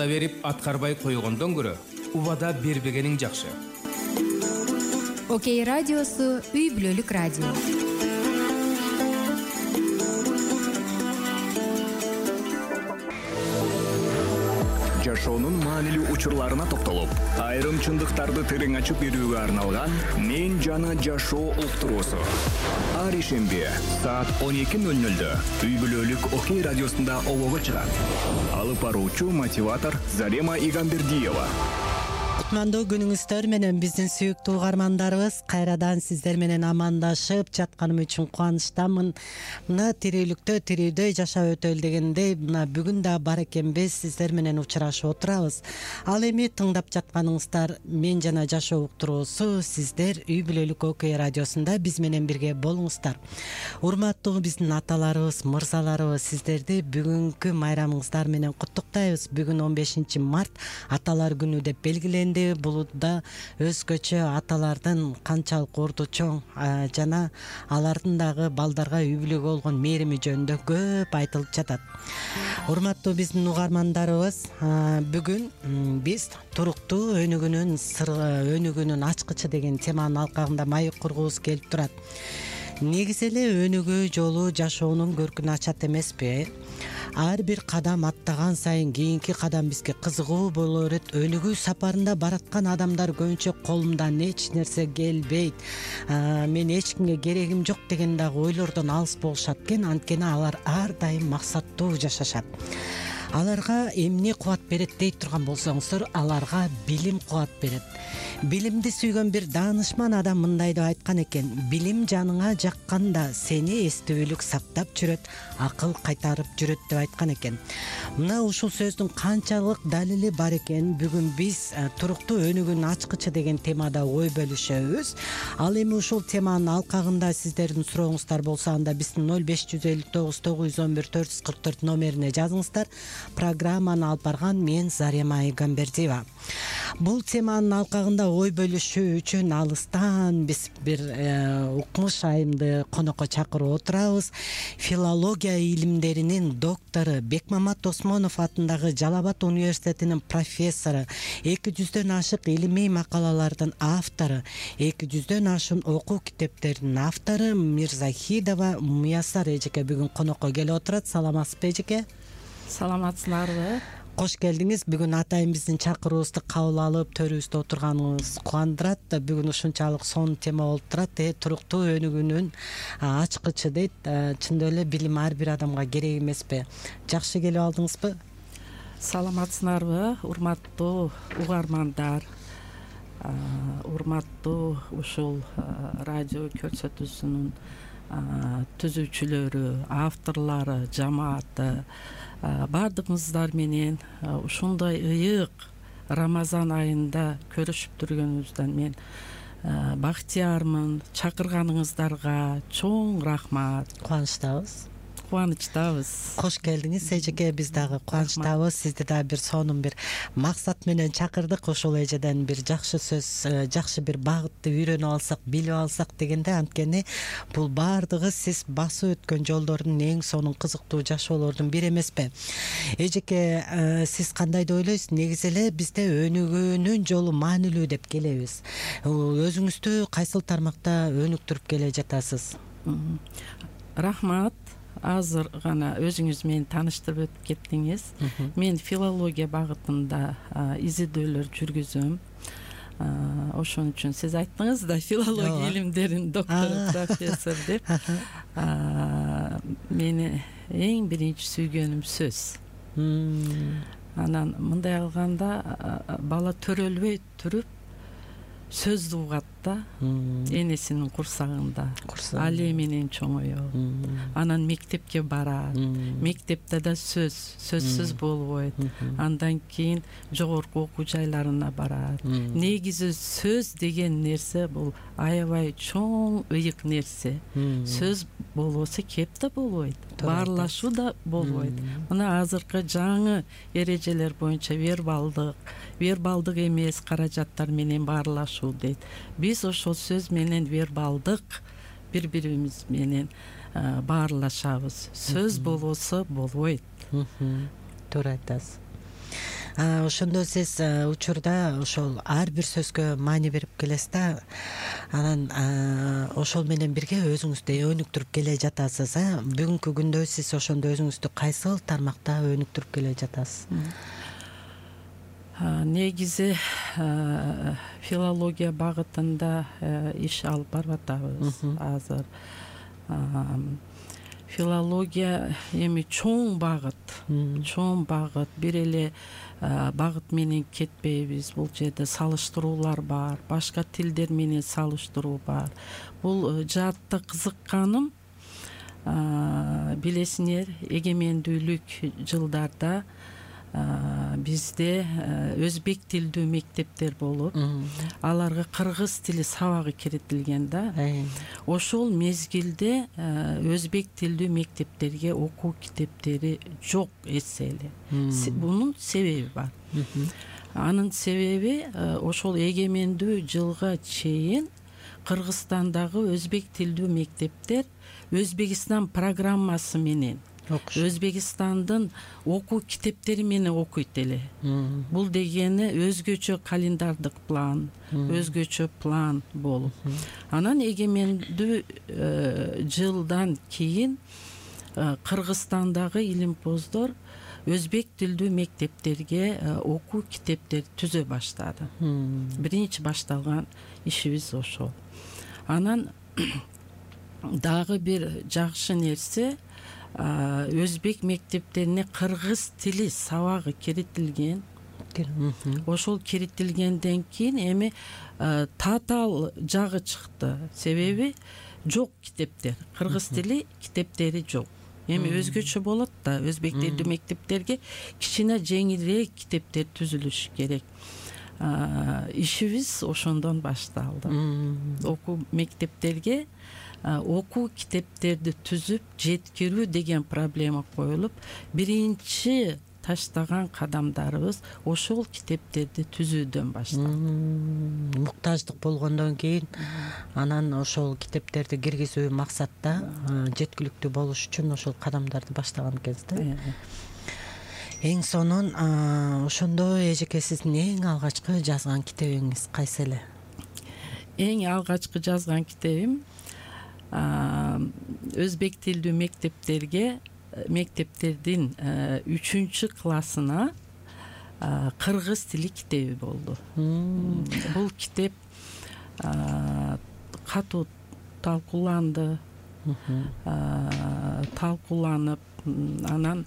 убада берип аткарбай койгондон көрө убада бербегениң жакшы. Окей радиосу үй бүлөлүк радио. Жашоонун маанилүү учурларына токтолуп, айрым чындыктарды терең ачып берүүгө арналган «Мен жана жашоо» уктуруусу. Ар ишемби саат 12:00 үй бүлөлүк Окей радиосунда обого чыгат. Алып баруучу мотиватор Зарема Игамбердиева. Кутмандуу күнүңүздөр менен биздин сүйүктүү угармандарыбыз, кайрадан сиздер менен амандашып жатканым үчүн кубанычтамын. Мына тирүүлүктө тирүүдө жашап өтөлү дегендей, мына бүгүн да бар экенбиз, сиздер менен учурашып отурабыз. Ал эми тыңдап жатканыңыздар «Мен жана жашоо» уктуруусу. Сиздер үй бүлөлүк Окей радиосунда биз менен бирге болуңуздар. Урматтуу биздин аталарыбыз, мырзаларыбыз, сиздерди бүгүнкү майрамыңыздар менен куттуктайбыз. Бүгүн 15 март аталар күнү деп белгиленди. Бул да өзгөчө аталардын канчалык орду чоң жана алардын дагы балдарга үй бүлөгө болгон мээрими жөнүндө көп айтылып жатат. Урматтуу биздин угармандарыбыз, бүгүн биз туруктуу өнүгүүнүн ачкычы деген теманын алкагында маек кургубуз келип турат. Негизи эле өнүгүү жолу жашоонун көркүн ачат эмеспи? Ар бир кадам аттаган сайын кийинки кадам бизге кызыгуу боло берет. Өнүгүү сапарында бараткан адамдар көбүнчө колумдан эч нерсе келбейт, мен эч кимге керегим жок деген дагы ойлордон алыс болушат экен. Анткени алар ар дайым максаттуу жашашат. Аларга эмне кубат берет дей турган болсоңуздар, аларга билим кубат берет. Билимди сүйгөн бир даанышман адам мындай деп айткан экен: билим жаныңа жакканда сени эстүүлүк сактап жүрөт, акыл кайтарып жүрөт деп айткан экен. Мына ушул сөздүн канчалык далили бар экен бүгүн биз туруктуу өнүгүүнүн ачкычы деген темада ой бөлүшөбүз. Ал эми ушул теманын алкагында сиздердин сурооңуздар болсо, анда биздин 0559 911 444 номерине жазыңыздар. Программаны алып барган мен Зарема Игамбердиева. Бул теманын алкагында ой бөлүшүү үчүн алыстан биз бир укмуш айымды конокко чакырып отурабыз. Филология илимдеринин доктору, Бекмамат Осмонов атындагы Жалал Абад университетинин профессору, 200дөн ашык илимий макалалардын автору, 200дөн ашык окуу китептеринин автору Мирзахидова Муяссар эжеке бүгүн конокко келип отурат. Саламатсызбы эжеке? Саламатсыздарбы? Кош келдиңиз. Бүгүн атайын биздин чакыруубузду кабыл алып, төрүбүздө отурганыңыз кубандырат. Бүгүн ушунчалык сонун тема болуп турат. Туруктуу өнүгүүнүн ачкычы дейт. Чындап эле билим ар бир адамга керек эмеспи? Жакшы келип алдыңызбы? Саламатсыздарбы, урматтуу угармандар, урматтуу ушул радио көрсөтүүсүнүн түзүүчүлөрү, авторлору, жамааты, баардыгыңыздар менен ушундай ыйык Рамазан айында көрүшүп жүргөнүбүздөн мен бактыярмын. Чакырганыңыздарга чоң рахмат. Кубанычтабыз. Кош келдиңиз эжеке. Биз дагы кубанычтабыз. Сизди дагы бир сонун бир максат менен чакырдык. Ошол эжеден бир жакшы сөз, жакшы бир багытты үйрөнүп алсак, билип алсак дегенде. Анткени бул баардыгы сиз басып өткөн жолдордун эң сонун кызыктуу жашоолордун бири эмеспи? Эжеке, сиз кандай деп ойлойсуз? Негизи эле бизде өнүгүүнүн жолу маанилүү деп келебиз. Өзүңүздү кайсыл тармакта өнүктүрүп келе жатасыз? Рахмат. Азыр гана өзүңүз мени тааныштырып өтүп кеттиңиз. Мен филология багытында изилдөөлөр жүргүзөм. Ошон үчүн сиз айттыңыз да, филология илимдеринин доктору, профессор деп. Мени эң биринчи сүйгөнүм сөз. Анан мындай алганда бала төрөлбөй туруп сөздү угат да, энесинин курсагында. Али менен чоңоёт. Анан мектепке барат. Мектепте да сөзсүз болбойт. Андан кийин жогорку окуу жайларына барат. Негизи сөз деген нерсе бул аябай чоң ыйык нерсе. Сөз болбосо кеп да болбойт. Баарлашуу да болбойт. Мына азыркы жаңы эрежелер боюнча вербалдык эмес каражаттар менен баарлашуу дейт. Биз ошол сөз менен вербалдык бири-бирибиз менен баарлашабыз. Сөз болбосо болбойт. Туура айтасыз. Ошондо сиз учурда ошол ар бир сөзгө маани берип келесиз да, анан ошол менен бирге өзүңүздү өнүктүрүп келе жатасыз. Бүгүнкү күндө сиз ошондо өзүңүздү кайсыл тармакта өнүктүрүп келе жатасыз? Негизи филология багытында иш алып барып атабыз азыр. Филология эми чоң багыт, бир эле багыт менен кетпейбиз. Бул жерде салыштыруулар бар, башка тилдер менен салыштыруу бар. Бул жаатта кызыкканым, билесиңер, эгемендүүлүк жылдарда бизде өзбек тилдүү мектептер болуп, аларга кыргыз тили сабагы киритилген да. Ошол мезгилде өзбек тилдүү мектептерге окуу китептери жок эсселе. Бунун себеби бар. Анын себеби ошол эгемендүү жылга чейин Кыргызстандагы өзбек тилдүү мектептер Өзбекстан программасы менен, Өзбекстандын окуу китептери менен окуйт эле. Бул дегени өзгөчө календардык план, өзгөчө план болуп. Анан эгемендүү жылдан кийин Кыргызстандагы илимпоздор өзбек тилдүү мектептерге окуу китептер түзө баштады. Биринчи башталган ишибиз ошол. Анан дагы бир жакшы нерсе, өзбек мектептерине кыргыз тили сабагы киритилген. Ошол киритилгенден кийин эми татаал жагы чыкты. Себеби жок китептер, кыргыз тили китептери жок. Эми өзгөчө болот да, өзбек тилдүү мектептерге кичине жеңилирээк китептер түзүлүшү керек. Ишибиз ошондон башталды. Окуу мектептерге окуу китептерди түзүп жеткирүү деген проблема коюлуп, биринчи таштаган кадамдарыбыз ошол китептерди түзүүдөн башталды. Муктаждык болгондон кийин анан ошол китептерди киргизүү максатта жеткиликтүү болуш үчүн ошол кадамдарды баштаган экенсиз да. Эң сонун ошондо эжеке сиздин эң алгачкы жазган китебиңиз кайсы эле? Эң алгачкы жазган китебим өзбек тилдүү мектептердин 3 классына кыргыз тили китеби болду. Бул китеп катуу талкууланды, талкууланып, анан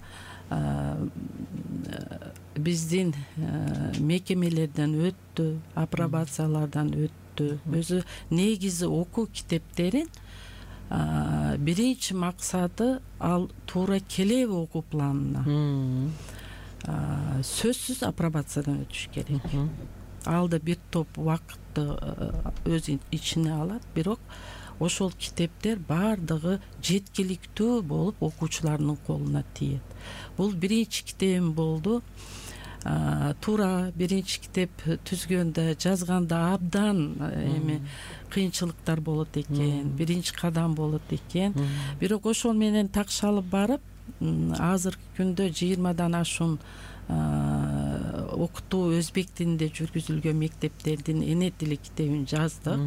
биздин мекемелерден өттү, апробациялардан өттү. Өзү негизи окуу китептерин биринчи максаты ал туура келеби окуу планына. Сөзсүз апробациядан өтүш керек. Ал да бир топ убакытты өз ичине алат, бирок ошол китептер баардыгы жеткиликтүү болуп окуучулардын колуна тиет. Бул биринчи китебим болду. Туура биринчи китеп түзгөндө, жазганда абдан эми кыйынчылыктар болот экен, биринчи кадам болот экен. Бирок ошол менен такшалып барып, азыркы күндө 20дан ашуун окутуу өзбек тилинде жүргүзүлгөн мектептердин эне тили китебин жаздык.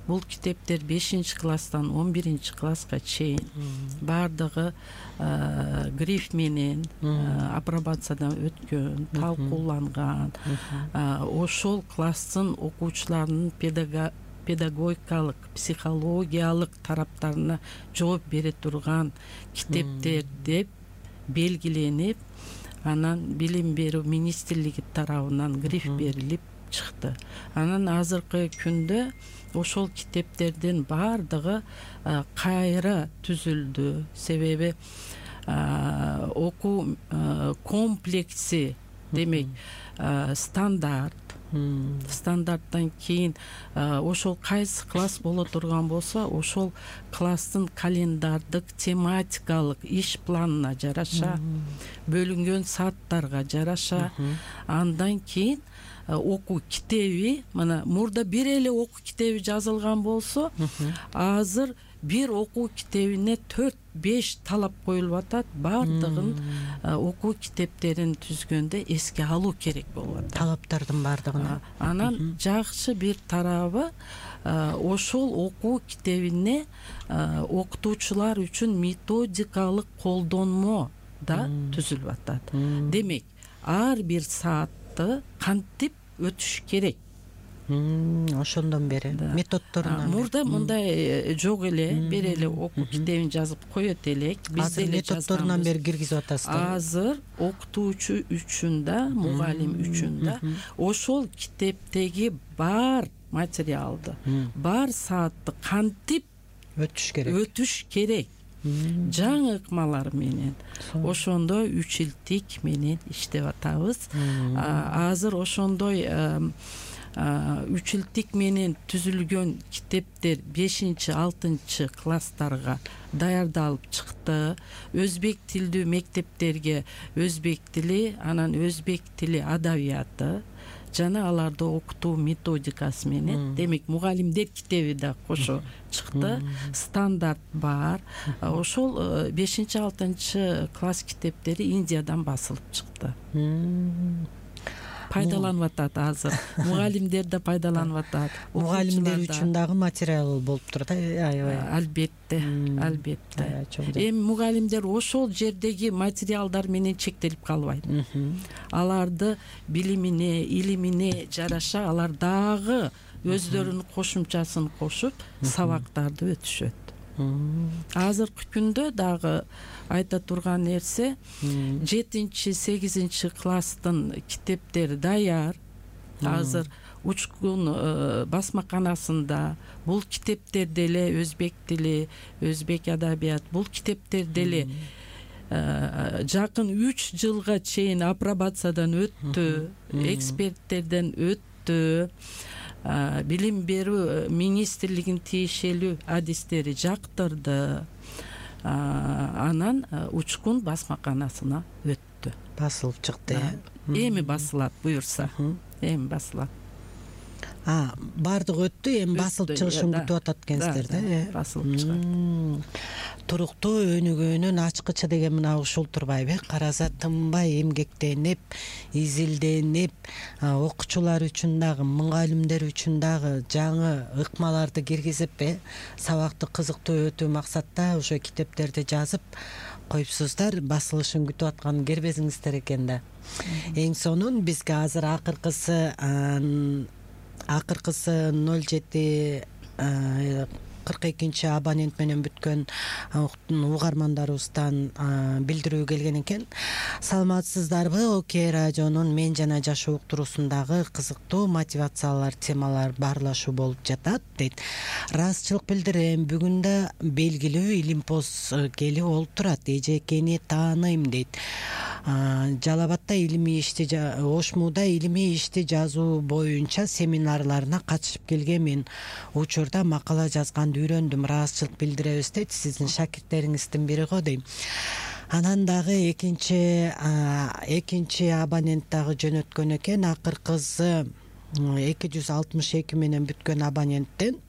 Бул китептер 5-класстан 11-класска чейин баардыгы гриф менен апробациядан өткөн, талкууланган. Ошол класстын окуучуларынын педагогикалык, психологиялык тараптарына жооп бере турган китептер деп белгиленип, анан билим берүү министрлиги тарабынан гриф берилип чыкты. Анан азыркы күндө ошол китептердин баардыгы кайра түзүлдү. Себеби окуу комплекси, демек стандарттан кийин ошол кайсы класс боло турган болсо, ошол класстын календардык, тематикалык иш планына жараша, бөлүнгөн сааттарга жараша, андан кийин окуу китеби, мына мурда бир эле окуу китеби жазылган болсо, азыр бир окуу китебине 4 5 талап коюлуп атат. Бардыгын окуу китептерин түзгөндө эске алуу керек болуп атат. Талаптардын бардыгына. Анан жакшы бир тарабы ошол окуу китебине окутуучулар үчүн методикалык колдонмо да түзүлүп атат. Демек, ар бир саатты кантип өтүш керек. Ошондон бери методдорунан. Мурда мындай жок эле, бир эле окуу китебин жазып коет элек. Биз деле методдорунан бери киргизип атасыздар. Азыр окутуучу үчүн да, мугалим үчүн да ошол китептеги бар материалды, бар саатты кантип өтүш керек. Жаңы ыкмалар менен ошондой үчилтик менен иштеп атабыз. Азыр ошондой үчилтик менен түзүлгөн китептер 5-6 класстарга даярдалып чыкты. Өзбек тилдүү мектептерге өзбек тили, анан өзбек тили адабияты жана аларды окутуу методикасы менен, демек мугалимдер китеби да кошо чыкты. Стандарт бар. Ошол 5-6 класс китептери Индиядан басылып чыкты. Пайдаланып атат азыр. Мугалимдер да пайдаланып атат. Мугалимдер үчүн дагы материал болуп турат. Албетте, албетте. Эми мугалимдер ошол жердеги материалдар менен чектелип калбайт. Аларды билимине, илимине жараша алар дагы өздөрүнүн кошумчасын кошуп сабактарды өтүшөт. Азыркы күндө дагы айта турган нерсе, 7-8 класстын китептери даяр. Азыр Учкун басмаканасында бул китептер деле өзбек тили, өзбек адабият, бул китептер деле жакын 3 жылга чейин апробациядан өттү, эксперттерден өттү. Билим берүү министрлигинин тиешелүү адистери жактырды. Анан Учкун басмаканасына өттү. Басылып чыкты. Эми басылат буюрса. Эми басылат. Бардыгы өттү, эми басылып чыгышын күтүп атат экенсиздер да. Басылып чыгат. Туруктуу өнүгүүнүн ачкычы деген мына ушул турбайбы? Караса тынбай эмгектенип, изилденип, окуучулар үчүн дагы, мугалимдер үчүн дагы жаңы ыкмаларды киргизип, сабакты кызыктуу өтүү максатта ошо китептерди жазып коюпсуздар. Басылышын күтүп аткан кербезиңиздер экен да. Эң сонун бизге азыр акыркысы 07-42 абонент менен бүткөн угармандарыбыздан билдирүү келген экен. Саламатсыздарбы? Окей радионун Мен жана жашоо уктуруусундагы кызыктуу мотивациялар, темалар баарлашуу болуп жатат дейт. Ырастчылык билдирем, бүгүн да белгилүү илимпоз келип олтурат. Эжекени тааныйм дейт. Жалал-Абадда илимий ишти, Ошмуда илимий ишти жазуу боюнча семинарларына катышып келгенмин. Учурда макала жазганды үйрөндүм. Ырастчылык билдиребиз дейт. Сиздин шакирттериңиздин бири го дейм. Анан дагы экинчи абонент дагы жөнөткөн экен. Акыркысы 262 менен бүткөн абоненттен.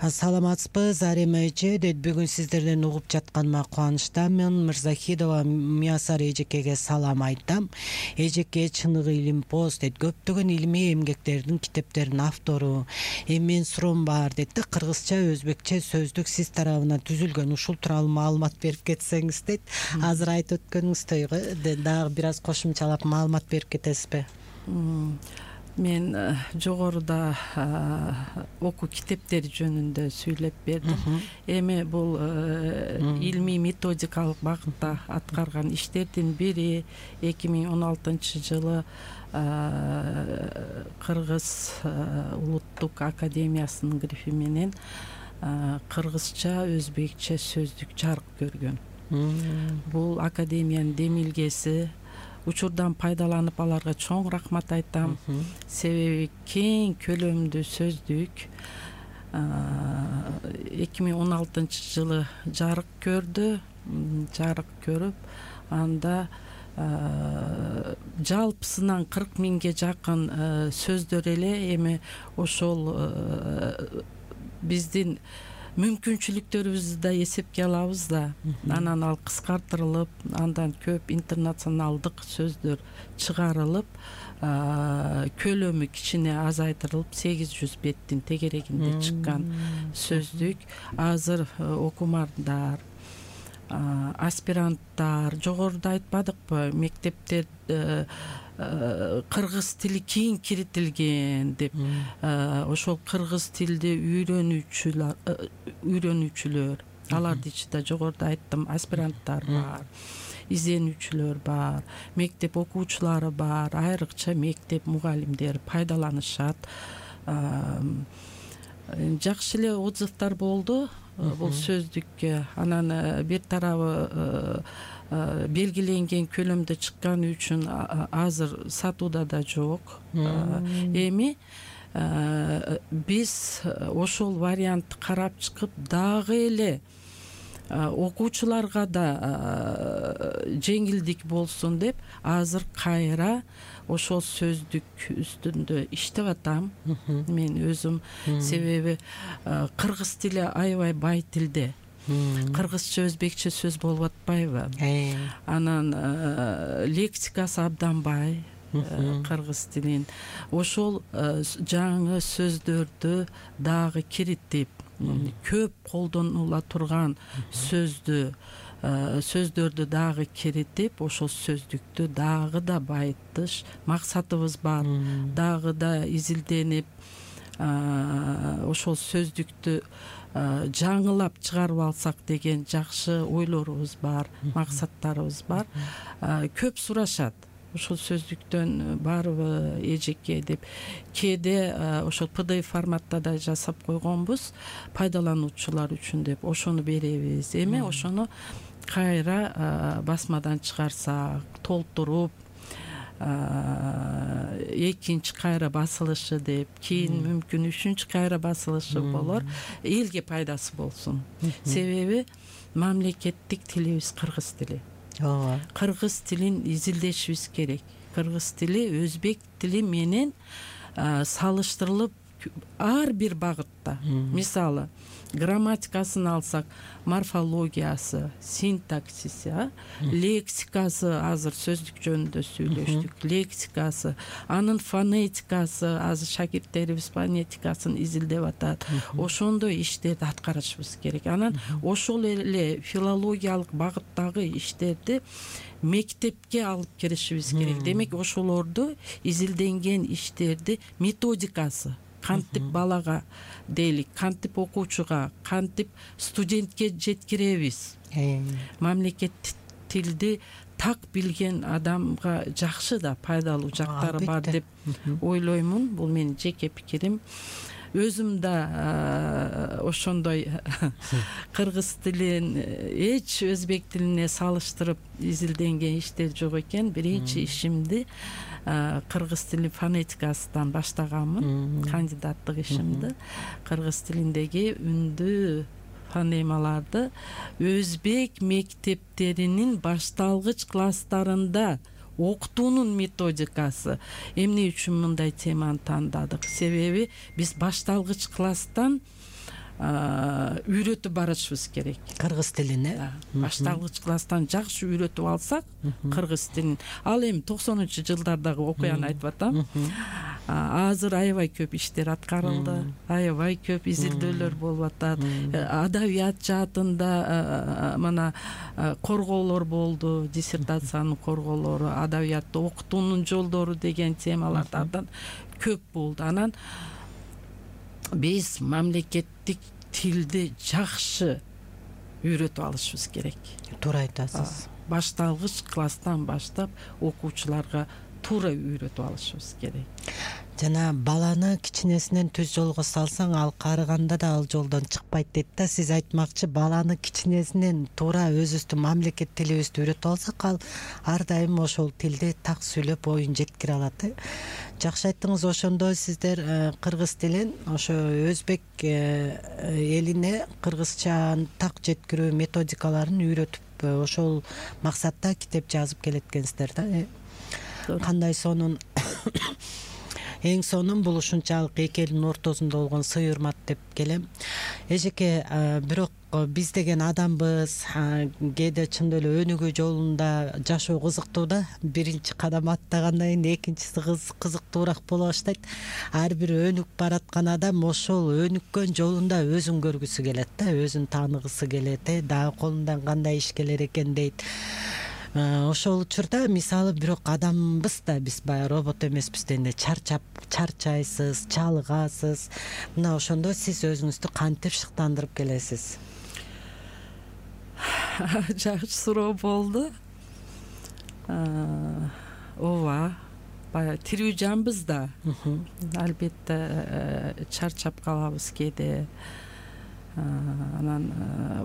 Саламатсызбы Зарема эже дейт. Бүгүн сиздерден угуп жатканыма кубанычтамын. Мырзахидова Миясар эжекеге салам айтам. Эжеке чыныгы илимпоз дейт. Көптөгөн илимий эмгектердин китептеринин автору. Мен суроом бар дейт. Кыргызча, өзбекче сөздүк сиз тарабынан түзүлгөн. Ушул тууралуу маалымат берип кетсеңиз дейт. Азыр айтып өткөнүңүздөй дагы бир аз кошумчалап маалымат берип кетесизби? Мен жогоруда окуу китептери жөнүндө сүйлөп бердим. Эми бул илмий методикалык багытта аткарган иштердин бири 2016 жылы Кыргыз улуттук академиясынын грифи менен кыргызча, өзбекче сөздүк жарык көргөн. Бул академиянын демилгеси. Учурдан пайдаланып аларга чоң рахмат айтам. Себеби кең көлөмдүү сөздүк 2016 жылы жарык көрдү. Жарык көрүп, анда жалпысынан 40 миңге жакын сөздөр эле. Эми ошол биздин мүмкүнчүлүктөрүбүздү да эсепке алабыз да. Анан ал кыскартырылып, андан көп интернационалдык сөздөр чыгарылып, көлөмү кичине азайтырылып 800 беттин тегерегинде чыккан сөздүк азыр окумандар, аспиранттар, жогоруда айтпадыкпы, мектептер кыргыз тили кийин киритилген деп, ошол кыргыз тилди үйрөнүүчүлөр, алардын ичинде жогоруда айттым, аспиранттар бар, изденүүчүлөр бар, мектеп окуучулары бар, айрыкча мектеп мугалимдери пайдаланышат. Жакшы эле отзывдар болду бул сөздүккө. Анан бир тарабы белгиленген көлөмдө чыкканы үчүн азыр сатууда да жок. Эми биз ошол вариантты карап чыгып, дагы эле окуучуларга да жеңилдик болсун деп, азыр кайра ошол сөздүк үстүндө иштеп атам мен өзүм. Себеби кыргыз тили аябай бай тилде. Кыргызча, өзбекче сөз болуп атпайбы? Анан лексикасы абдан бай кыргыз тилин. Ошол жаңы сөздөрдү дагы киритип, көп колдонула турган сөздөрдү дагы киритип, ошол сөздүктү дагы да байытыш максатыбыз бар. Дагы да изилденип, ошол сөздүктү жаңылап чыгарып алсак деген жакшы ойлорубуз бар, максаттарыбыз бар. Көп сурашат, ошол сөздүктөн барбы эжеке деп. Кээде ошол PDF форматта да жасап койгонбуз, пайдалануучулар үчүн деп. Ошону беребиз. Эми ошону кайра басмадан чыгарсак, толтуруп, экинчи кайра басылышы деп, кийин мүмкүн үчүнчү кайра басылышы болор, элге пайдасы болсун. Себеби мамлекеттик тилибиз кыргыз тили. Кыргыз тилин изилдешибиз керек. Кыргыз тили өзбек тили менен салыштырылып ар бир багытта. Мисалы, грамматикасын алсак, морфологиясы, синтаксиси, лексикасы, азыр сөздүк жөнүндө сүйлөштүк, лексикасы, анын фонетикасы, азыр шакирттерибиз фонетикасын изилдеп атат. Ошондой иштерди аткарышыбыз керек. Анан ошол эле филологиялык багыттагы иштерди мектепке алып киришибиз керек. Демек, ошолорду изилденген иштерди методикасы, кантип балага дейлик, кантип окуучуга, кантип студентке жеткиребиз. Мамлекет тилди так билген адамга жакшы да пайдалуу жактары бар деп ойлоймун. Бул менин жеке пикирим. Өзүм да ошондой кыргыз тилин эч өзбек тилине салыштырып изилденген иштер жок экен. Биринчи ишимди кыргыз тили фонетикасынан баштаганмын, кандидаттык ишимди. Кыргыз тилиндеги үндүү фонемаларды өзбек мектептеринин башталгыч класстарында окутуунун методикасы. Эмне үчүн мындай теманы тандадык? Себеби биз башталгыч класстан үйрөтүп барышыбыз керек. Кыргыз тилин, башталгыч класстан жакшы үйрөтүп алсак, кыргыз тилин. Ал эми 90-жылдардагы окуяны айтып атам. Азыр аябай көп иштер аткарылды, аябай көп изилдөөлөр болуп атат. Адабият жаатында мына корголор болду, диссертациянын корголору, адабиятты окутуунун жолдору деген темалардан көп болду. Анан биз мамлекеттик тилди жакшы үйрөтүп алышыбыз керек. Туура айтасыз. Башталгыч класстан баштап окуучуларга туура үйрөтүп алышыбыз керек. Жана баланы кичинесинен түз жолго салсаң, ал карыганда да ал жолдон чыкпайт дейт да. Сиз айтмакчы, баланы кичинесинен туура өзүбүздүн мамлекет тилибизди үйрөтүп алсак, ал ар дайым ошол тилди так сүйлөп оюн жеткире алат. Жакшы айттыңыз. Ошондой сиздер кыргыз тилин ошо өзбек элине кыргызчаны так жеткирүү методикаларын үйрөтүп, ошол максатта китеп жазып келеткенсиздер да. Кандай сонун эң сонун бул ушунчалык эки элдин ортосунда болгон сый урмат деп келем. Эжеке, бирок биз деген адамбыз, кээде чындап эле өнүгүү жолунда жашоо кызыктуу да. Биринчи кадам аттагандан кийин экинчиси кызыктуураак боло баштайт. Ар бир өнүк бараткан адам ошол өнүккөн жолунда өзүн көргүсү келет да, өзүн тааныгысы келет, дагы колундан кандай иш келер экен дейт. Ошол учурда мисалы бирок адамбыз да, биз баягы робот эмеспиз дегенде чарчайсыз, чалыгасыз. Мына ошондо сиз өзүңүздү кантип шыктандырып келесиз? Жакшы суроо болду. Ооба, баягы тирүү жанбыз да. Албетте чарчап калабыз кээде. Анан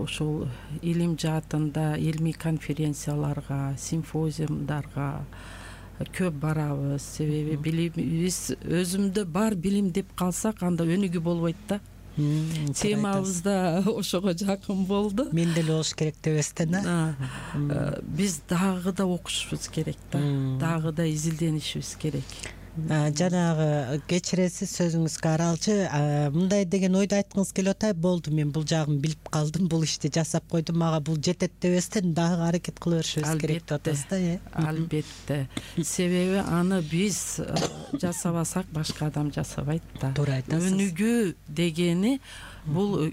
ушул илим жаатында илимий конференцияларга, симфозиумдарга көп барабыз. Себеби билимибиз өзүмдө бар билим деп калсак, анда өнүгүү болбойт да. Темабыз да ошого жакын болду. Мен деле болуш керек дебестен да. Биз дагы да окушубуз керек да. Дагы да изилденишибиз керек. Жанагы кечиресиз, сөзүңүзгө аралчы, мындай деген ойду айткыңыз келип атат. Болду, мен бул жагын билип калдым, бул ишти жасап койдум, мага бул жетет дебестен дагы аракет кыла беришибиз керек деп атасыз да. Албетте. Себеби аны биз жасабасак башка адам жасабайт да. Туура айтасыз. Өнүгүү дегени бул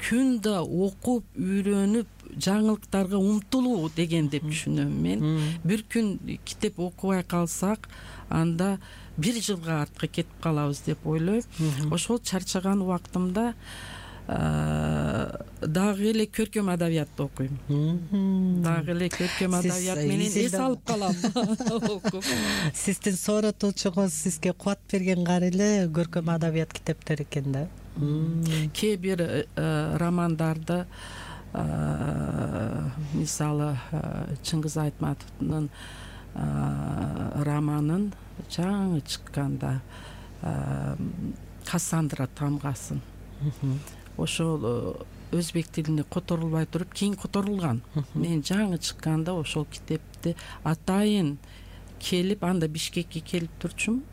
күндө окуп, үйрөнүп, жаңылыктарга умтулуу деген деп түшүнөм мен. Бир күн китеп окубай калсак, анда бир жылга артка кетип калабыз деп ойлойм. Ошол чарчаган убактымда дагы эле көркөм адабиятты окуйм. Дагы эле көркөм адабият менен эс алып калам окуп. Сиздин сооротуучуңуз сизге кубат берген кары эле көркөм адабият китептери экен да. Кээ бир романдарды, мисалы Чыңгыз Айтматовдун романын жаңы чыкканда Кассандра тамгасын, ошол өзбек тилине которулбай туруп кийин которулган. Мен жаңы чыкканда ошол китепти атайын келип, анда Бишкекке келип турчумун.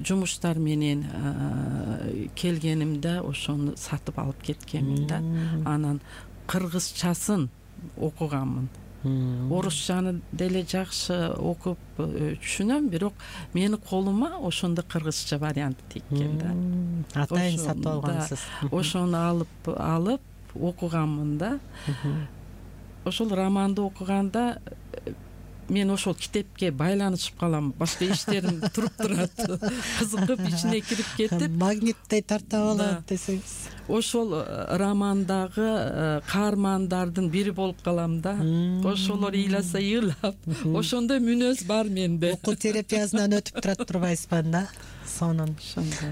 Жумуштар менен келгенимде ошону сатып алып кеткенмин да. Анан кыргызчасын окуганмын. Орусчаны деле жакшы окуп түшүнөм, бирок менин колума ошондо кыргызча вариант теккен да. Атайын сатып алгансыз. Ошону алып окуганмын да. Ошол романды окуганда мен ошол китепке байланышып калам, башка иштерим туруп турат. Кызыгып ичине кирип кетип, магниттей тартып алат десеңиз. Ошол романдагы каармандардын бири болуп калам да. Ошолор ыйласа ыйлап, ошондой мүнөз бар менде. Окуу терапиясынан өтүп турат турбайсызбы да? Сонун.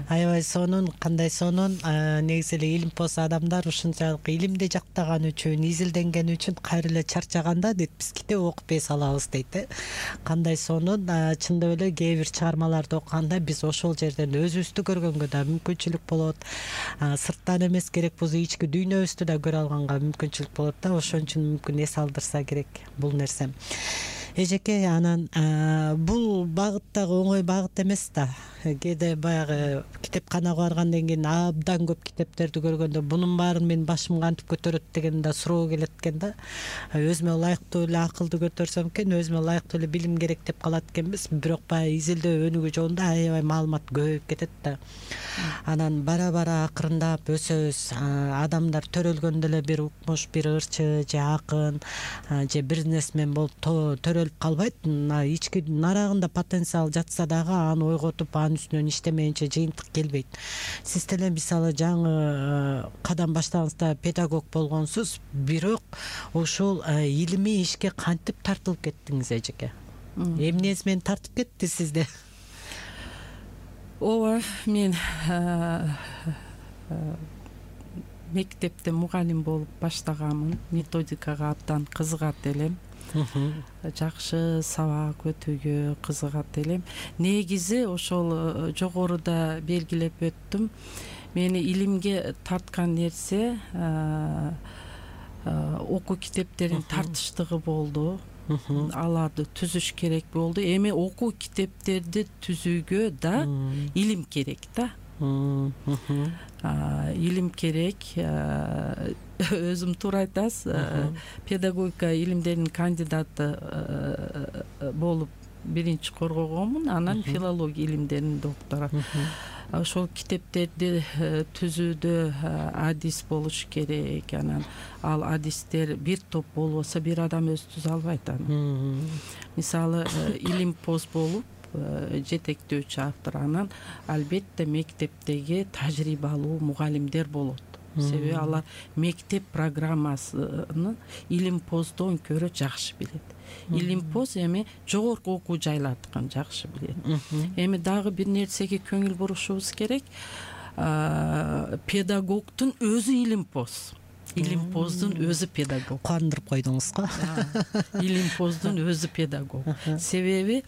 Аябай сонун, кандай сонун. Негизи эле илимпоз адамдар ушунчалык илимди жактаган үчүн, изилденген үчүн кайра эле чарчаганда дейт, биз китеп окуп эс алабыз дейт. Кандай сонун. Чындап эле кээ бир чыгармаларды окуганда биз ошол жерден өзүбүздү көргөнгө да мүмкүнчүлүк болот. Сырттан эмес, керек болсо ички дүйнөбүздү да көрө алганга мүмкүнчүлүк болот да. Ошон үчүн мүмкүн эс алдырса керек бул нерсе. Эжеке, анан бул багыт дагы оңой багыт эмес да. Кээде баягы китепканага баргандан кийин абдан көп китептерди көргөндө бунун баарын мен башым кантип көтөрөт деген да суроо келет экен да. Өзүмө ылайыктуу эле акылды көтөрсөм экен, өзүмө ылайыктуу эле билим керек деп калат экенбиз. Бирок баягы изилдөө өнүгүү жолунда аябай маалымат көбөйүп кетет да. Анан бара акырындап өсөбүз. Адамдар төрөлгөндө эле бир укмуш, бир ырчы же акын же бизнесмен болуп төрөлүп калбайт. Ички нарагында потенциал жатса дагы аны ойготуп, анын үстүнөн иштемейинче жыйынтык келбейт. Сиз деле мисалы жаңы кадам баштагыңызда педагог болгонсуз, бирок ушул илимий ишке кантип тартылып кеттиңиз эжеке? Эмнеси менен тартып кетти сизде? Ооба, мен мектепте мугалим болуп баштаганмын. Методикага абдан кызыгат элем. Жакшы сабак өтүүгө кызыгат элем. Негизи ошол жогоруда белгилеп өттүм. Мени илимге тарткан нерсе окуу китептерин тартыштыгы болду. аларды түзүш керек болду. Эми окуу китептерди түзүүгө да илим керек да. Илим керек. Өзүм туура айтасыз, педагогика илимдеринин кандидаты болуп биринчи коргогонмун, анан филология илимдеринин доктору. Ошол китептерди түзүүдө адис болуш керек. Анан ал адистер бир топ болбосо бир адам өзү түзө албайт аны. Мисалы, илим поз болуп жетектөөчү автор, анан албетте мектептеги тажрыйбалуу мугалимдер болот. Себеби алар мектеп программасын илим поздон көрө жакшы билет. Илим поз эми жогорку окуу жайлардыкын жакшы билет. Эми дагы бир нерсеге көңүл бурушубуз керек. Педагогдун өзү илим поз. Илим поздун өзү педагог. Кандырып койдуңуз го. Илим поздун өзү педагог. Себеби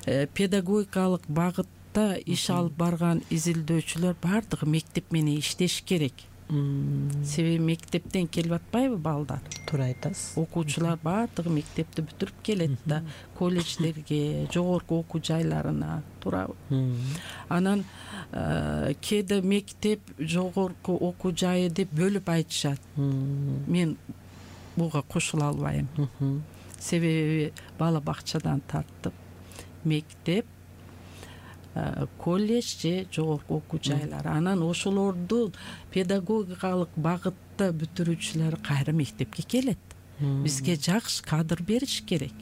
педагогикалык багытта иш алып барган изилдөөчүлөр бардыгы мектеп менен иштеш керек. Себеби мектептен келип атпайбы балдар? Туура айтасыз. Окуучулар бардыгы мектепти бүтүрүп келет да, колледждерге, жогорку окуу жайларына, туурабы? Анан кээде мектеп, жогорку окуу жайы деп бөлүп айтышат. Мен буга кошула албайм. Себеби бала бакчадан тартып мектеп, колледж же жогорку окуу жайлары. Анан ошолорду педагогикалык багытта бүтүрүүчүлөр кайра мектепке келет. Бизге жакшы кадр бериш керек.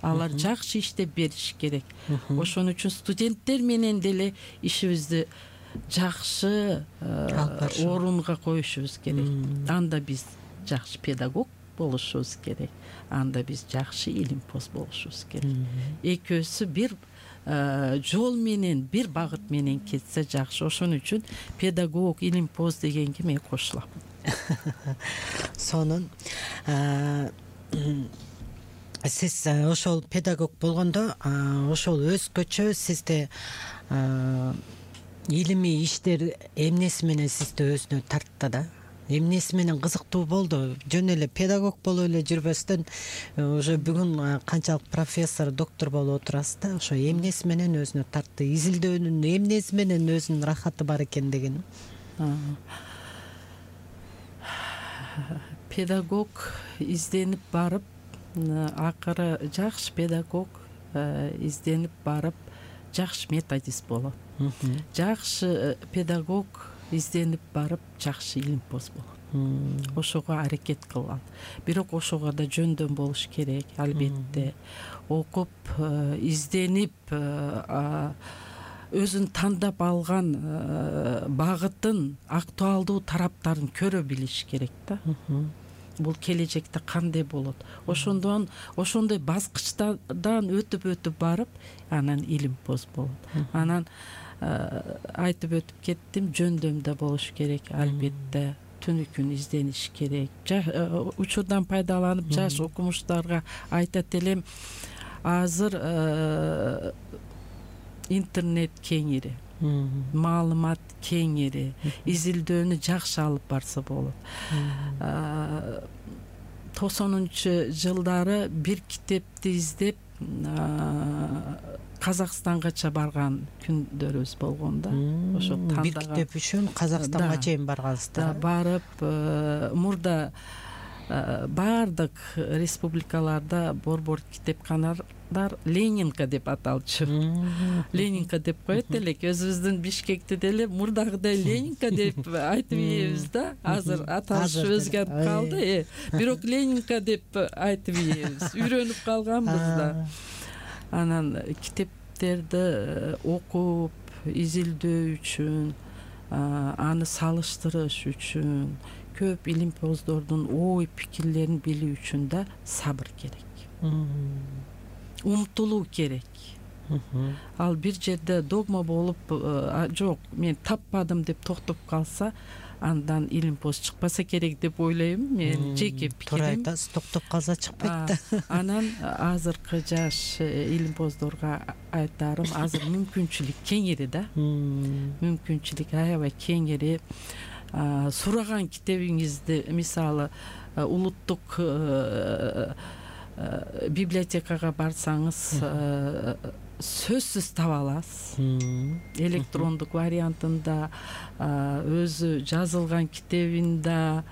Алар жакшы иштеп бериш керек. Ошон үчүн студенттер менен деле ишибизди жакшы орунга коюшубуз керек. Анда биз жакшы педагог болушубуз керек. Анда биз жакшы илим поз болушубуз керек. Экөөсү бир жол менен, бир багыт менен кетсе жакшы. Ошон үчүн педагог, илим поз дегенге мен кошулам. Сонун сиз ошол педагог болгондо ошол өзгөчө сизде илимий иштер эмнеси менен сизди өзүнө тартты да? Эмнеси менен кызыктуу болду? Жөн эле педагог болуп эле жүрбөстөн уже бүгүн канчалык профессор, доктор болуп отурасыз да, ошо эмнеси менен өзүнө тартты? Изилдөөнүн эмнеси менен өзүнүн рахаты бар экен деген. Педагог изденип барып, акыры жакшы педагог изденип барып, жакшы методист болот. Жакшы педагог изденип барып, жакшы илим поз болот. Ошого аракет кылган. Бирок ошого да жөндөм болуш керек, албетте. Окуп, изденип, өзүн тандап алган багытын, актуалдуу тараптарын көрө билиш керек да. Бул келечекте кандай болот? Ошондой баскычтардан өтүп барып, анан илим поз болот. Анан айтып өтүп кеттим, жөндөмдө болуш керек, албетте. Түнү күн издениш керек. Учурдан пайдаланып жаш окумуштарга айтат элем, азыр интернет кеңири, маалымат кеңири, изилдөөнү жакшы алып барса болот. 90-жылдары бир китепти издеп Казакстангача барган күндөрүбүз болгон да. Ошо тандаган бир китеп үчүн Казакстанга чейин баргансыздар. Барып, мурда баардык республикаларда борбор китепканалар Ленинка деп аталчу. Ленинка деп коет элек. Өзүбүздүн Бишкекте деле мурдагыдай Ленинка деп айтып ийебиз да. Азыр аталыш өзгөрүп калды. Бирок Ленинка деп айтып ийебиз. Үйрөнүп калганбыз да. Анан китептерди окуп, изилдөө үчүн, аны салыштырыш үчүн, көп илим поздордун ой пикирлерин билүү үчүн да сабыр керек. Умтулуу керек. Ал бир жерде догма болуп, жок, мен таппадым деп токтоп калса, андан илим поз чыкпаса керек деп ойлойм. Мен жеке пикирим. Туура айтасыз, токтоп калса чыкпайт. Анан азыркы жаш илим поздорго айтарым, азыр мүмкүнчүлүк кеңири да. Мүмкүнчүлүк аябай кеңири. Сураган китебиңизди, мисалы, улуттук библиотекага барсаңыз сөзсүз таба аласыз. Электрондук вариантында, өзү жазылган китебинде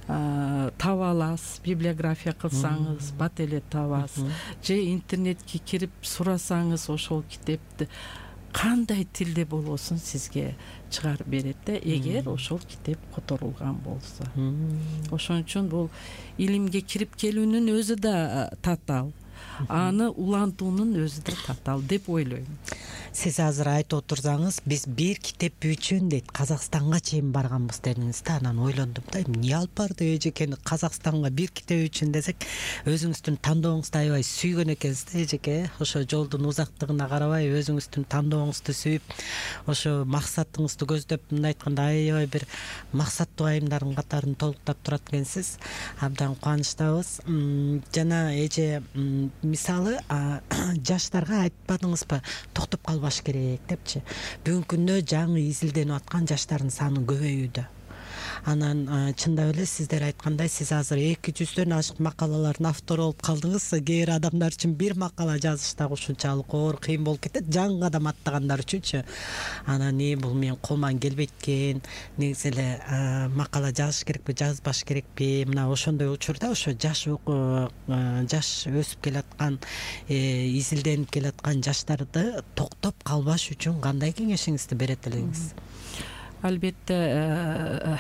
таба аласыз. Библиография кылсаңыз бат эле табасыз. Же интернетке кирип сурасаңыз ошол китепти кандай тилде болбосун сизге чыгарып берет да, эгер ошол китеп которулган болсо. Ошон үчүн бул илимге кирип келүүнүн өзү да татаал, аны улантуунун өзү да татаал деп ойлойм. Сиз азыр айтып отурсаңыз, биз бир китеп үчүн дейт Казакстанга чейин барганбыз дедиңиз да, анан ойлондум да, эмне алып барды эжекени Казакстанга бир китеп үчүн десек, өзүңүздүн тандооңузду аябай сүйгөн экенсиз да эжеке. Ошо жолдун узактыгына карабай өзүңүздүн тандооңузду сүйүп, ошо максатыңызды көздөп, мындай айтканда аябай бир максаттуу айымдардын катарын толуктап турат экенсиз. Абдан кубанычтабыз. Жана эже мисалы жаштарга айтпадыңызбы, токтоп калбаш керек депчи. Бүгүнкү күндө жаңы изилденип аткан жаштардын саны көбөйүүдө. Анан чындап эле сиздер айткандай, сиз азыр 200дөн ашык макалалардын автору болуп калдыңыз. Кээ бир адамдар үчүн бир макала жазыш да ушунчалык оор, кыйын болуп кетет, жаңы кадам аттагандар үчүнчү. Анан бул менин колуман келбейт экен, негизи эле макала жазыш керекпи, жазбаш керекпи? Мына ошондой учурда ошо жаш өсүп келаткан, изилденип келаткан жаштарды токтоп калбаш үчүн кандай кеңешиңизди берет элеңиз? Албетте,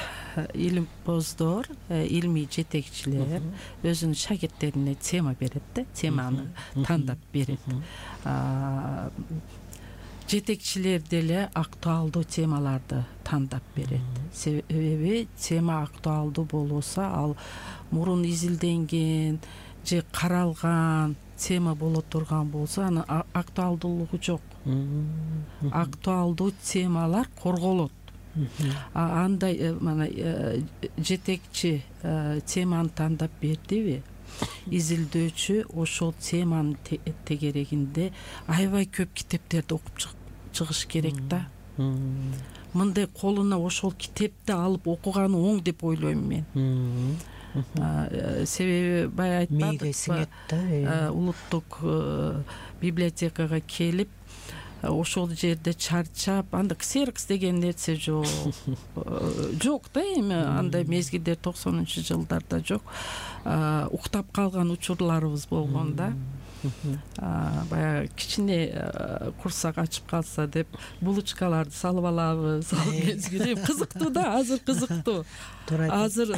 илимпоздор, илмий жетекчилер өзүнүн шакирттерине тема берет да, теманы тандап берет. Жетекчилер деле актуалдуу темаларды тандап берет. Себеби тема актуалдуу болбосо, ал мурун изилденген же каралган тема боло турган болсо, анын актуалдуулугу жок. Актуалдуу темалар корголот. Андай мана жетекчи теманы тандап бердиби, изилдөөчү ошол теманын тегерегинде аябай көп китептерди окуп чыгыш керек да. Мындай колуна ошол китепти алып окуганы оң деп ойлойм мен. Себеби бая айтпадыкпы, улуттук библиотекага келип ошол жерде чарчап, анда ксерокс деген нерсе жок. Жок да, эми андай мезгилдер 90-жылдарда жок. Уктап калган учурларыбыз болгон да. Баягы кичине курсак ачып калса деп булочкаларды салып алабыз. Ал мезгил кызыктуу да, азыр кызыктуу. Азыр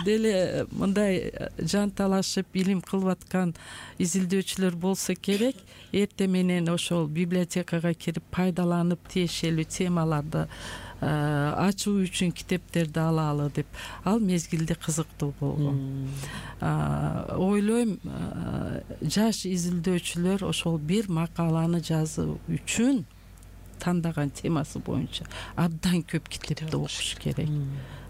деле мындай жан талашып илим кылып аткан изилдөөчүлөр болсо керек, эрте менен ошол библиотекага кирип пайдаланып тиешелүү темаларды ачуу үчүн китептерди алалы деп. Ал мезгилде кызыктуу болгон. Ойлойм, жаш изилдөөчүлөр ошол бир макаланы жазуу үчүн тандаган темасы боюнча абдан көп китепти окуш керек.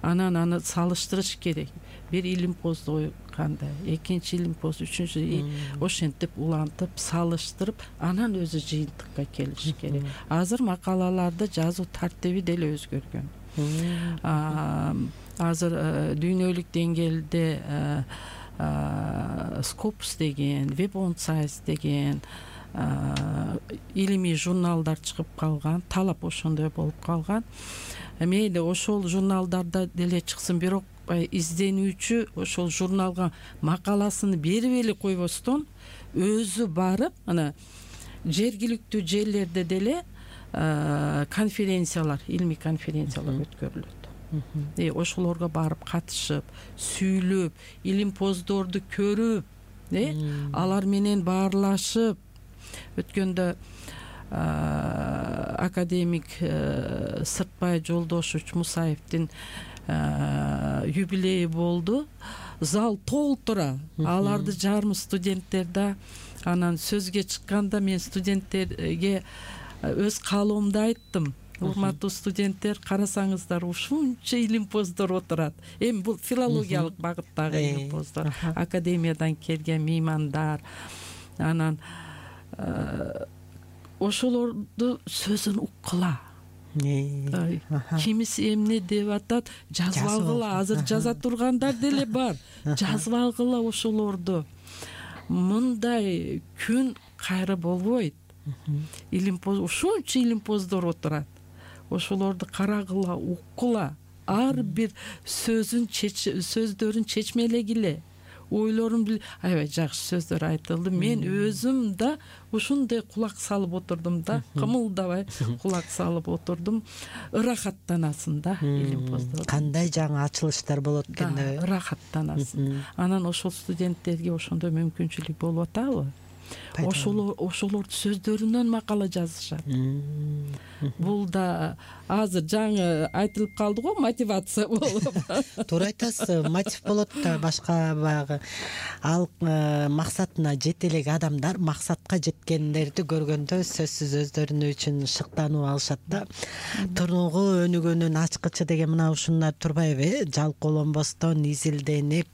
Анан аны салыштырыш керек. Бир илимпозду ойганда, экинчи илимпоз, үчүнчү, ошентип улантып, салыштырып, анан өзү жыйынтыкка келиш керек. Азыр макалаларды жазуу тартиби деле өзгөргөн. Азыр дүйнөлүк деңгээлде Scopus деген, Web on Science деген илимий журналдар чыгып калган, талап ошондой болуп калган. Мейли ошол журналдарда деле чыксын, бирок изденүүчү ошол журналга макаласын берип эле койбостон, өзү барып, ана жергиликтүү жерлерде деле конференциялар, илмий конференциялар өткөрүлөт. Ошолорго барып катышып, сүйлөп, илимпоздорду көрүп, алар менен баарлашып, өткөндө академик Сыртбай Жолдошевич Мусаевдин юбилейи болду. Зал толтура, аларды жарымы студенттер да. Анан сөзгө чыкканда мен студенттерге өз каалоомду айттым. Урматтуу студенттер, карасаңыздар, ушунча илимпоздор отурат. Эми бул филологиялык багыттагы илимпоздор, академиядан келген меймандар. Анан ошолорду сөзүн уккыла. Кимиси эмне деп атат, жазып алгыла. Азыр жаза тургандар деле бар. Жазып алгыла ошолорду. мындай күн кайра болбойт. Ушунча илимпоздор отурат. Ошолорду карагыла, уккула, ар бир сөздөрүн чечмелегиле, ойлорун аябай жакшы сөздөр айтылды. Мен өзүм да ушундай кулак салып отурдум да, кымылдабай кулак салып отурдум. Ырахаттанасың да илимпоздор. Кандай жаңы ачылыштар болот экенде. Ырахаттанасың. Анан ошол студенттерге ошондой мүмкүнчүлүк болуп атабы? Ошолордун сөздөрүнөн макала жазышат. Бул да азыр жаңы айтылып калды го, мотивация болуп. Туура айтасыз, мотив болот да, башка баягы ал максатына жете элек адамдар максатка жеткендерди көргөндө сөзсүз өздөрүнүн үчүн шыктанып алышат да. Тургу өнүгөнүн ачкычы деген мына ушундар турбайбы? Жалкоолонбостон изилденип,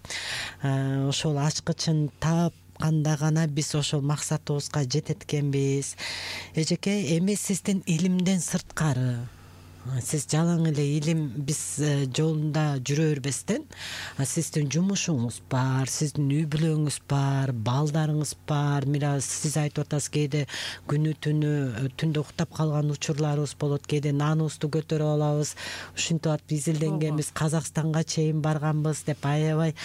ошол ачкычын таап канда гана биз ошол максатыбызга жетет экенбиз. Эжеке, эми сиздин илимден сырткары, сиз жалаң эле илим биз жолунда жүрө бербестен, сиздин жумушуңуз бар, сиздин үй бүлөңүз бар, балдарыңыз бар. Мира сиз айтып атасыз, кээде күнү түндө уктап калган учурларыбыз болот, кээде наныбызды көтөрүп алабыз, ушинтип атып изилденгенбиз, Казакстанга чейин барганбыз деп аябай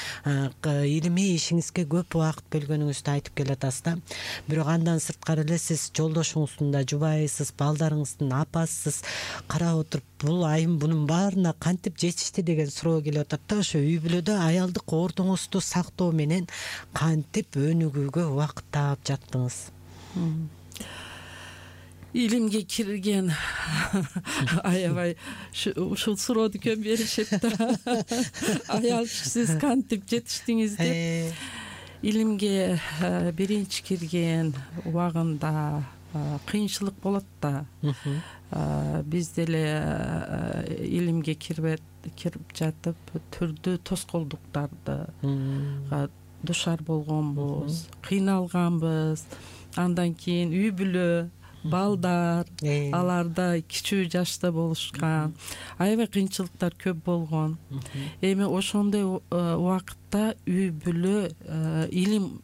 илимий ишиңизге көп убакыт бөлгөнүңүздү айтып келатасыз да. Бирок андан сырткары эле сиз жолдошуңуздун да жубайысыз, балдарыңыздын апасысыз. Карап бул айым бунун баарына кантип жетишти деген суроо келип атат да. Ошо үй бүлөдө аялдык ордуңузду сактоо менен кантип өнүгүүгө убакыт таап жаттыңыз? Илимге кирген аябай ушул суроону көп беришет да. Аял сиз кантип жетиштиңиз деп. Илимге биринчи кирген убагында кыйынчылык болот да. Биз деле илимге кирип жатып түрдүү тоскоолдуктарды душар болгонбуз, кыйналганбыз. Андан кийин үй бүлө, балдар, аларда кичүү жашта болушкан, аябай кыйынчылыктар көп болгон. Эми ошондой убакытта үй бүлө илим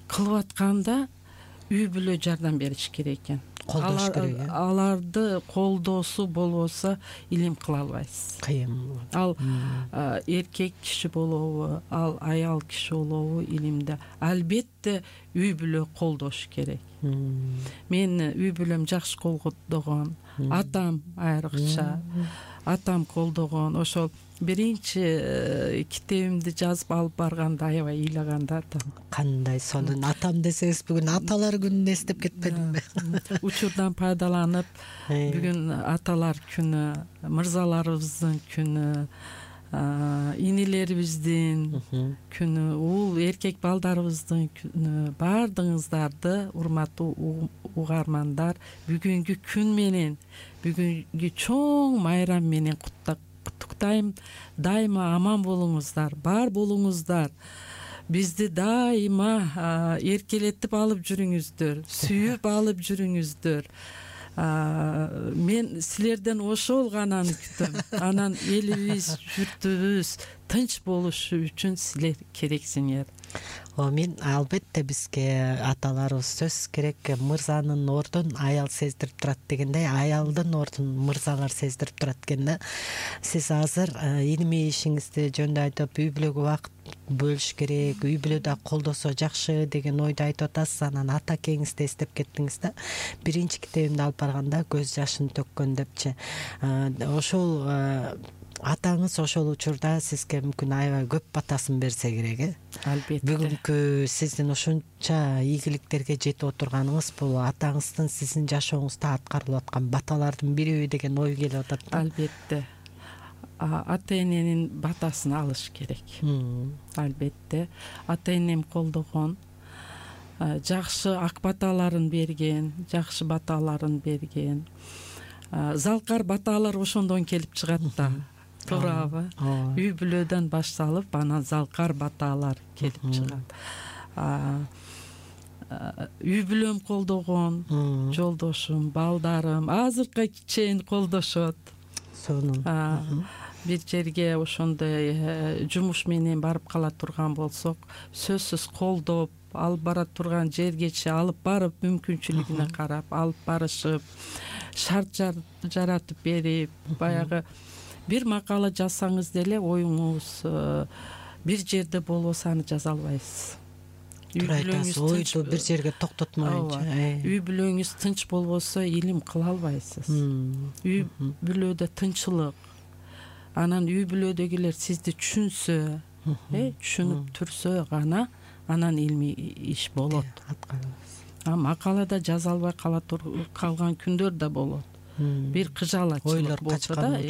кылып атканда үй бүлө жардам бериш керек экен. Колдош керек. Аларды колдоосу болбосо илим кыла албайсыз. Кыйын. Ал эркек киши болобу, ал аял киши болобу, илимде албетте үй бүлө колдош керек. Мен үй бүлөм жакшы колдогон, атам айрыкча, атам колдогон. Ошол биринчи китебимди жазып алып барганда аябай ыйлаганда атам. Кандай сонун атам десеңиз, бүгүн аталар күнүн эстеп кетпедимби? Учурдан пайдаланып, бүгүн аталар күнү, мырзаларыбыздын күнү, инилерибиздин күнү, уул эркек балдарыбыздын күнү. Баардыгыңыздарды, урматтуу угармандар, бүгүнкү күн менен, бүгүнкү чоң майрам менен куттуктайм. Дайыма аман болуңуздар, бар болуңуздар. Бизди дайыма эркелетип алып жүрүңүздөр, сүйүп алып жүрүңүздөр. Мен силерден ошол гананы күтөм. Анан элибиз, журтубуз тынч болушу үчүн силер керексиңер. Мен албетте бизге аталарыбыз сөз керек, мырзанын ордун аял сездирип турат дегендей, аялдын ордун мырзалар сездирип турат экен да. Сиз азыр илимий ишиңизди жөнүндө айтып, үй бүлөгө убакыт бөлүш керек, үй бүлөдө колдосо жакшы деген ойду айтып атасыз. Анан ата кеңизди эстеп кеттиңиз да. Биринчи китебимди алып барганда көз жашын төккөн депчи. Ошол атаңыз ошол учурда сизге мүмкүн аябай көп батасын берсе керек, Албетте. Бүгүнкү сиздин ушунча ийгиликтерге жетип отурганыңыз бул атаңыздын сиздин жашооңузда аткарылып аткан баталардын бириби деген ой келип атат да. Албетте. Ата эненин батасын алыш керек. Албетте. Ата энем колдогон, жакшы ак баталарын берген, жакшы баталарын берген. Залкар баталар ошондон келип чыгат да. Туурабы? Үй бүлөдөн башталып, анан залкар баталар келип чыгат. Үй бүлөм колдогон, жолдошум, балдарым азыркыга чейин колдошот. Сонун. бир жерге ошондой жумуш менен барып кала турган болсок, сөзсүз колдоп алып бара турган жергече алып барып, мүмкүнчүлүгүнө карап алып барышып, шарт жаратып берип, баягы бир макала жазсаңыз деле оюңуз бир жерде болбосо аны жаза албайсыз. Туура айтасыз, ойду бир жерге токтотмойчу. Үй бүлөңүз тынч болбосо илим кыла албайсыз. Үй бүлөдө тынчылык, анан үй бүлөдөгүлөр сизди түшүнсө, түшүнүп турсо гана анан илмий иш болот. Макалада жаза албай калган күндөр да болот. Бир кыжалачылык болсо да,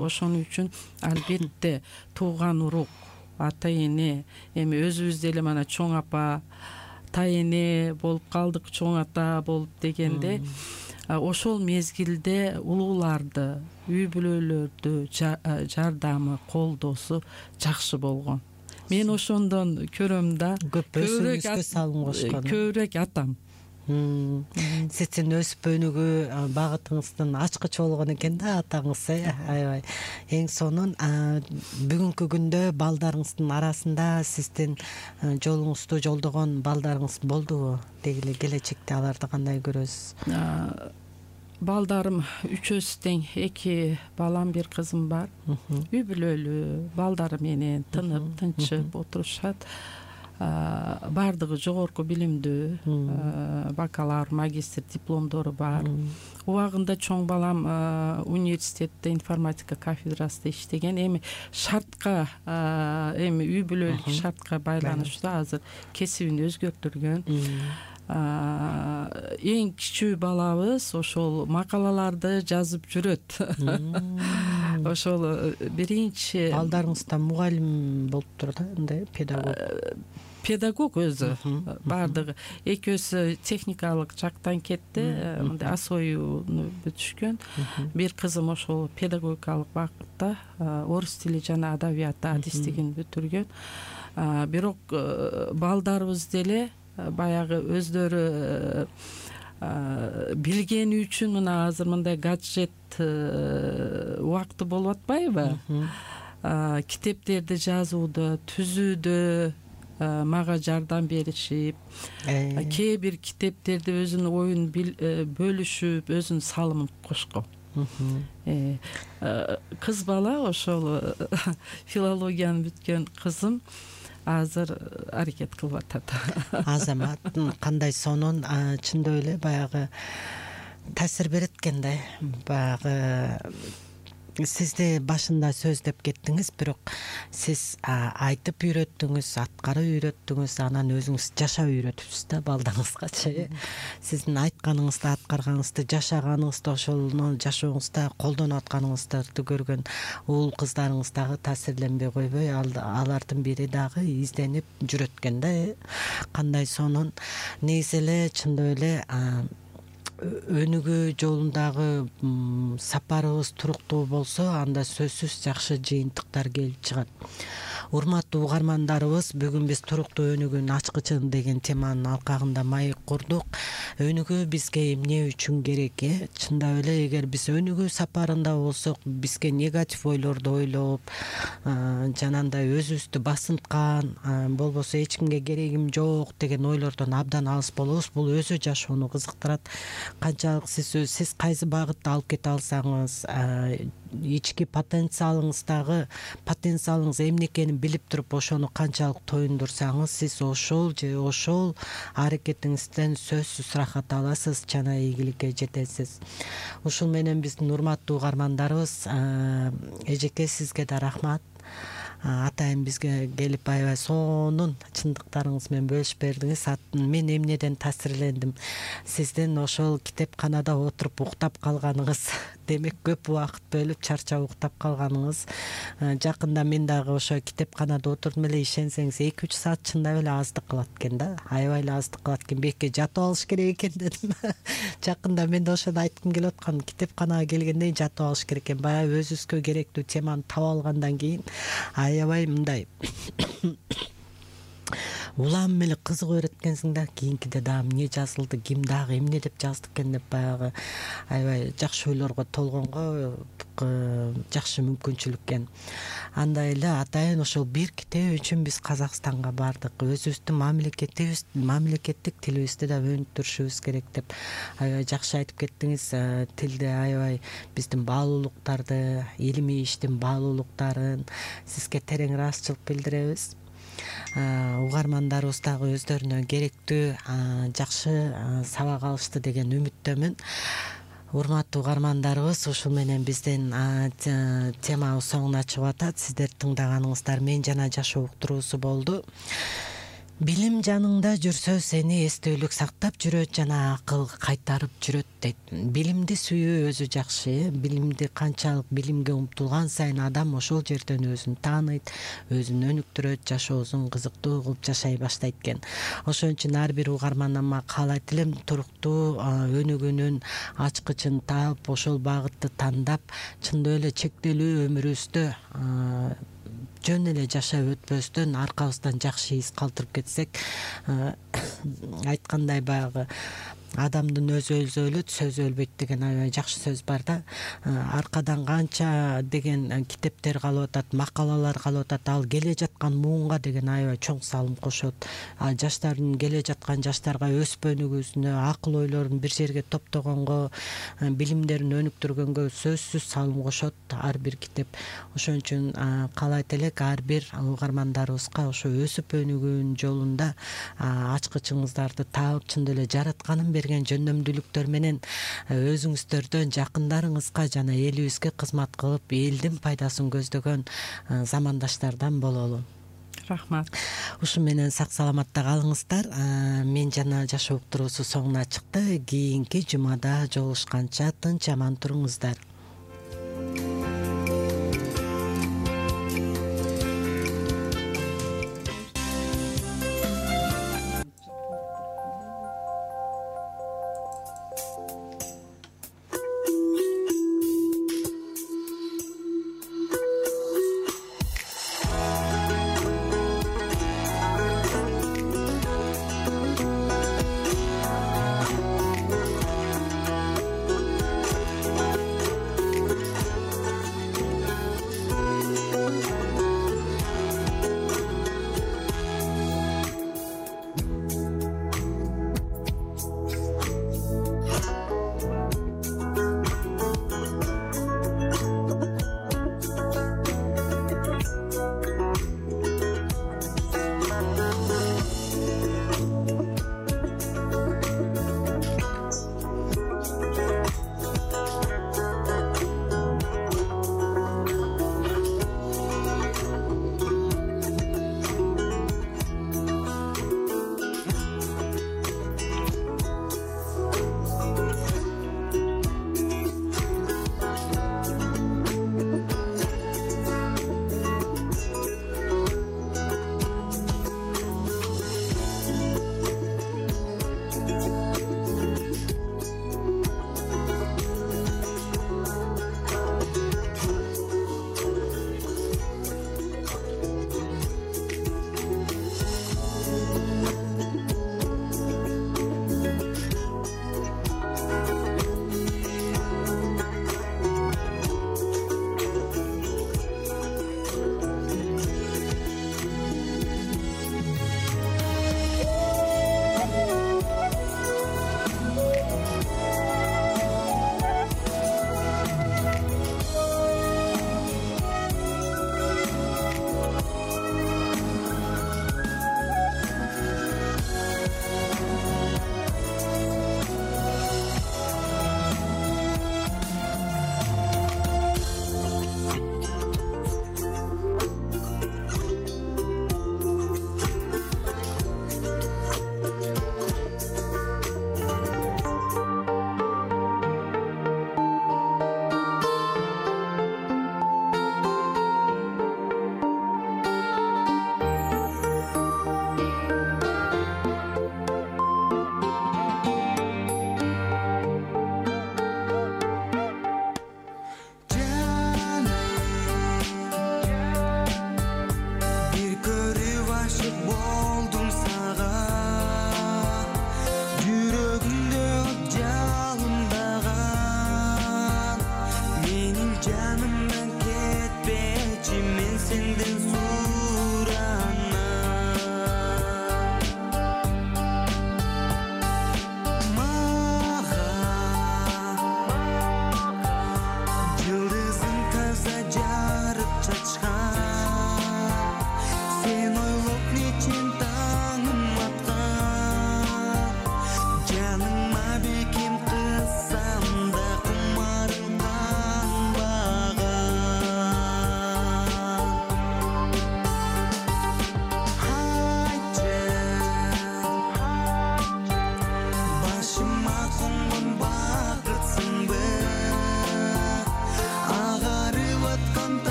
ошон үчүн албетте тууган урук, ата эне, эми өзүбүз деле мана чоң апа, тайэне болуп калдык, чоң ата болуп дегенде, ошол мезгилде улууларды, үй бүлөлөрдү жардамы, колдоосу жакшы болгон. Мен ошондон көрөм да, көбүрөөк атам. Сиздин өсүп өнүгүү багытыңыздын ачкычы болгон экен да атаңыз, аябай. Эң сонун бүгүнкү күндө балдарыңыздын арасында сиздин жолуңузду жолдогон балдарыңыз болдубу? Деги эле келечекте аларды кандай көрөсүз? Балдарым үчөөсү тең, 2 балам, 1 кызым бар. Үй бүлөлүү, балдары менен тынып, тынчып отурушат. Бардыгы жогорку билимдүү, бакалавр, магистр дипломдору бар. Убагында чоң балам университетте информатика кафедрасында иштеген. Эми шартка, эми үй бүлөлүк шартка байланыштуу азыр кесибин өзгөртүргөн. Эң кичүү балабыз ошол макалаларды жазып жүрөт. Ошол биринчи балдарыңызда мугалим болуп турат, андай педагог өзү бардыгы. Экөөсү техникалык жактан кетти, мындай асоюуну бүтүшкөн. Бир кызым ошол педагогикалык багытта орус тили жана адабияты адистигин бүтүргөн. Бирок балдарыбыз деле баягы өздөрү билгени үчүн мына азыр мындай гаджет убакты болуп атпайбы? Китептерди жазууда, түзүүдө мага жардам беришип, кээ бир китептерди өзүнүн оюн бөлүшүп, өзүнүн салымын кошкон. Кыз бала ошол филологияны бүткөн кызым азыр аракет кылып атат. Азамат кандай сонун, чындап эле баягы таасир берет экен да. Баягы сизди башында сөз деп кеттиңиз, бирок сиз айтып үйрөттүңүз, аткарып үйрөттүңүз, анан өзүңүз жашап үйрөтүпсүз да балдарыңызгачы. Сиздин айтканыңызды, аткарганыңызды, жашаганыңызды, ошону жашооңузда колдонуп атканыңыздарды көргөн уул кыздарыңыз дагы таасирленбей койбой, алардын бири дагы изденип жүрөт экен да. Кандай сонун. Негизи эле чындап эле өнүгүү жолундагы сапарыбыз туруктуу болсо, анда сөзсүз жакшы жыйынтыктар келип чыгат. Урматтуу угармандарыбыз, бүгүн биз туруктуу өнүгүүнүн ачкычын деген теманын алкагында маек курдук. Өнүгүү бизге эмне үчүн керек? Чындап эле эгер биз өнүгүү сапарында болсок, бизге негатив ойлорду ойлоп, жанагындай өзүбүздү басынткан, болбосо эч кимге керегим жок деген ойлордон абдан алыс болобуз. Бул өзү жашоону кызыктырат. Канчалык сиз кайсы багытта алып кете алсаңыз, ички потенциалыңыз эмне экенин билип туруп, ошону канчалык тоюндурсаңыз, сиз ошол аракетиңизден сөзсүз рахат аласыз, жана ийгиликке жетесиз. Ушул менен биздин урматтуу угармандарыбыз, эжеке сизге да рахмат. Атайын бизге келип аябай сонун чындыктарыңыз менен бөлүшүп бердиңиз. Мен эмнеден таасирлендим? Сиздин ошол китепканада отуруп уктап калганыңыз, демек көп убакыт бөлүп чарчап уктап калганыңыз. Жакында мен дагы ошо китепканада отурдум эле, ишенсеңиз 2-3 саат чындап эле аздык кылат экен да. Аябай эле аздык кылат экен. Бекке жатып алыш керек экен дедим. Жакында мен да ошону айткым келип аткан. Китепканага келгенде жатып алыш керек экен. Баягы өзүбүзгө керектүү теманы таап алгандан кийин аябай мындай улам эле кызыгып берет экенсиң да, кийинкиде дагы эмне жазылды, ким дагы эмне деп жазды экен деп баягы аябай жакшы ойлорго толгонго жакшы мүмкүнчүлүк экен. Андай эле атайын ошол бир китеп үчүн биз Казакстанга бардык. Өзүбүздүн мамлекеттик тилибизди да өнүктүрүшүбүз керек деп аябай жакшы айтып кеттиңиз. Тилде аябай биздин баалуулуктарды, илимий иштин баалуулуктарын сизге терең ыраазычылык билдиребиз. Угармандарыбыз дагы өздөрүнө керектүү жакшы сабак алышты деген үмүттөмүн. Урматтуу угармандарыбыз, ушул менен биздин темабыз соңуна чыгып атат. Сиздер тыңдаганыңыздар Мен жана жашоо уктуруусу болду. Билим жаныңда жүрсө сени эстүүлүк сактап жүрөт жана акыл кайтарып жүрөт дейт. Билимди сүйүү өзү жакшы. Билимди канчалык билимге умтулган сайын адам ошол жерден өзүн тааныйт, өзүн өнүктүрөт, жашоосун кызыктуу кылып жашай баштайт экен. Ошон үчүн ар бир угарманама каалайт элем, туруктуу өнүгүүнүн ачкычын таап, ошол багытты тандап, чындап эле чектелүү өмүрүбүздө жөн эле жашап өтпөстөн аркабыздан жакшы из калтырып кетсек, айткандай баягы адамдын өзү өлөт, сөзү өлбөйт деген аябай жакшы сөз бар да. Аркадан канча деген китептер калып атат, макалалар калып атат, ал келе жаткан муунга деген аябай чоң салым кошот. Жаштардын келе жаткан жаштарга өсүп өнүгүүсүнө, акыл ойлорун бир жерге топтогонго, билимдерин өнүктүргөнгө сөзсүз салым кошот ар бир китеп. Ошон үчүн каалайт элек ар бир угармандарыбызга ошо өсүп өнүгүүнүн жолунда ачкычыңыздарды таап, чындап эле жаратканын берген жөндөмдүүлүктөр менен өзүңүздөрдөн жакындарыңызга жана элибизге кызмат кылып, элдин пайдасын көздөгөн замандаштардан бололу. Рахмат. Ушу менен сак саламатта калыңыздар. Мен жана жашоо уктуруусу соңуна чыкты. Кийинки жумада жолугушканча тынч аман туруңуздар.